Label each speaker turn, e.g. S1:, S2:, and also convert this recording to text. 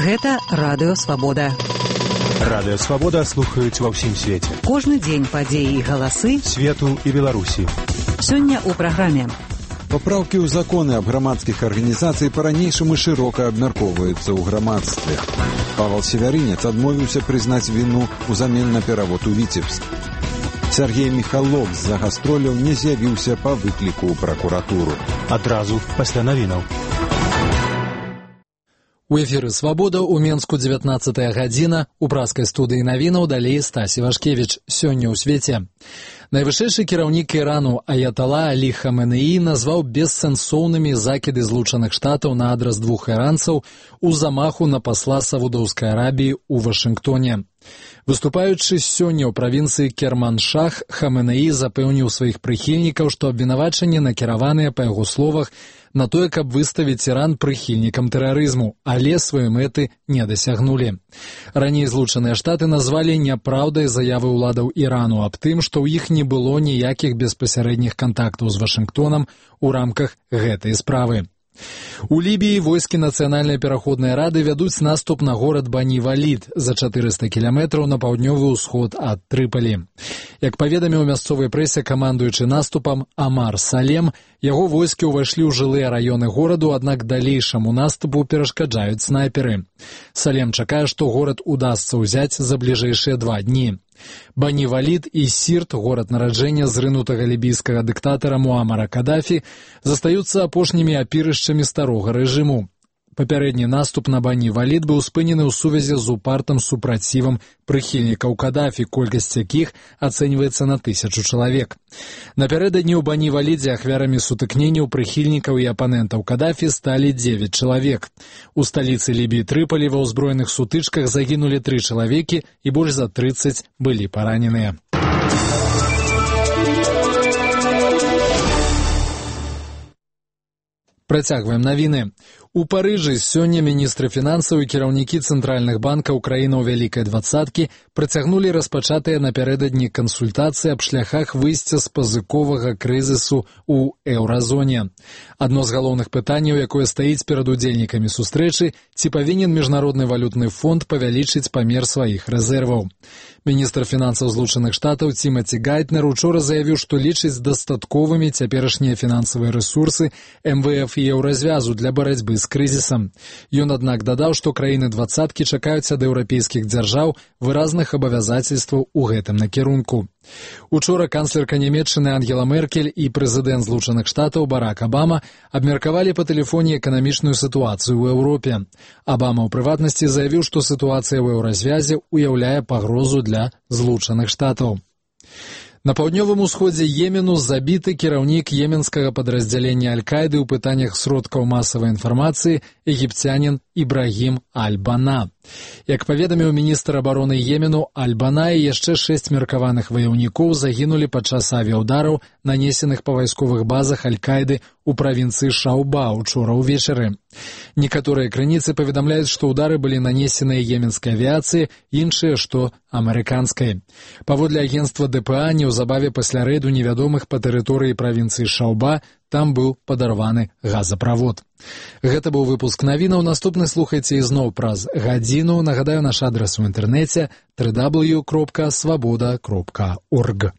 S1: Гэта Радыё Свабода.
S2: Радыё Свабода слухаюць ва ўсім свеце.
S1: Кожны дзень падзеі і галасы
S2: свету і Беларусі.
S1: Сёння ў праграме.
S3: Папраўкі ў законы аб грамадскіх арганізацый па-ранейшаму шырока абмяркоўваюцца ў грамадстве. Павел Севярынец адмовіўся прызнаць віну ўзамен на перавод у Віцебск. Сергей Михалок з-за гастроляў не з'явіўся па выкліку ў пракуратуру.
S2: Адразу пасля навінаў.
S4: У эфіры «Свабода» у Менску 19 гадзіна. У праскай студыі навінаў далей Стасі Вашкевіч. Сёння ў свеце. Найвышэйшы кіраўнік Ірану Аятала Алі Хаменеі назваў бессэнсоўнымі закіды Злучаных Штатаў на адрас двух іранцаў у замаху на пасла Саудаўскай Арабіі ў Вашынгтоне. Выступаючы сёння ў правінцыі Керманшах, Хаменеі запэўніў сваіх прыхільнікаў, што абвінавачанні накіраваныя, па яго словах, на тое, каб выставіць Іран прыхільнікам тэрарызму, але свае мэты не дасягнулі. Раней Злучаныя Штаты назвалі няпраўдай заявы ўладаў Ірану аб тым, што ў іх не было ніякіх беспасярэдніх кантактаў з Вашынгтонам у рамках гэтай справы. У Лібіі войскі Нацыянальнай пераходнай рады вядуць наступ на горад Бані-Валід за 400 кіламетраў на паўднёвы ўсход ад Трыпалі. Як паведаміў мясцовай прэсе камандуючы наступам Амар Салем, яго войскі ўвайшлі ў жылыя раёны гораду, аднак далейшаму наступу перашкаджаюць снайперы. Салем чакае, што горад удасца ўзяць за бліжэйшыя 2 дні. Бані-Валід і Сірт, горад нараджэння зрынутага лібійскага дыктатара Муамара Кадафі, застаюцца апошнімі апірышчамі старога рэжыму. Папярэдні наступ на Бані-Валід быў спынены ў сувязі з упартым супрацівам прыхільнікаў Кадафі, колькасць якіх ацэньваецца на 1000 чалавек. Напярэдадні ў Бані-Валідзе ахвярамі сутыкненняў прыхільнікаў і апанентаў Кадафі сталі 9 чалавек. У сталіцы Лібіі Трыпалі ва ўзброеных сутычках загінулі 3 чалавекі і больш за 30 былі параненыя. Працягваем навіны. У Парыжы сёння міністры фінансаў і кіраўнікі цэнтральных банкаў краінаў Вялікай двадцаткі працягнулі распачатыя напярэдадні кансультацыі аб шляхах выйсця з пазыковага крызісу ў еўразоне. Адно з галоўных пытанняў, якое стаіць перад удзельнікамі сустрэчы, ці павінен Міжнародны валютны фонд павялічыць памер сваіх рэзерваў. Міністр фінансаў Злучаных Штатаў Тимаці Гайтнер учора заявіў, што лічыць дастатковымі цяперашнія фінансавыя рэсурсы МВФ і еўразвязу для барацьбы з крызісам. Ён, аднак, дадаў, што краіны двадцаткі чакаюць ад еўрапейскіх дзяржаў выразных абавязацельстваў у гэтым накірунку. Учора канцлерка Нямецчыны Ангела Меркель і прэзідэнт Злучаных Штатаў Барак Абама абмеркавалі па тэлефоне эканамічную сітуацыю ў Еўропе. Абама ў прыватнасці заявіў, што сітуацыя ў еўразвязе ўяўляе пагрозу для Злучаных Штатаў. На паўднёвым усходзе Йемену забіты кіраўнік йеменскага падраздзялення Аль-Каіды ў пытаннях сродкаў масавай інфармацыі егіпцянін Ібрагім Аль-Бана. Як паведаміў міністр абароны Йемену, Аль-Бана і яшчэ 6 меркаваных ваяўнікоў загінулі падчас авіяўдараў, нанесеных па вайсковых базах Аль-Каіды ў правінцыі Шауба учора ўвечары. Некаторыя крыніцы паведамляюць, што ўдары былі нанесеныя йеменскай авіяцыяй, іншыя, што амерыканскай. Паводле агенцтва ДПА, неўзабаве пасля рэйду невядомых па тэрыторыі правінцыі Шауба, там быў падарваны газаправод. Гэта быў выпуск навінаў. Наступны слухайце ізноў праз гадзіну. Нагадаю, наш адрас у інтэрнэце www.swaboda.org.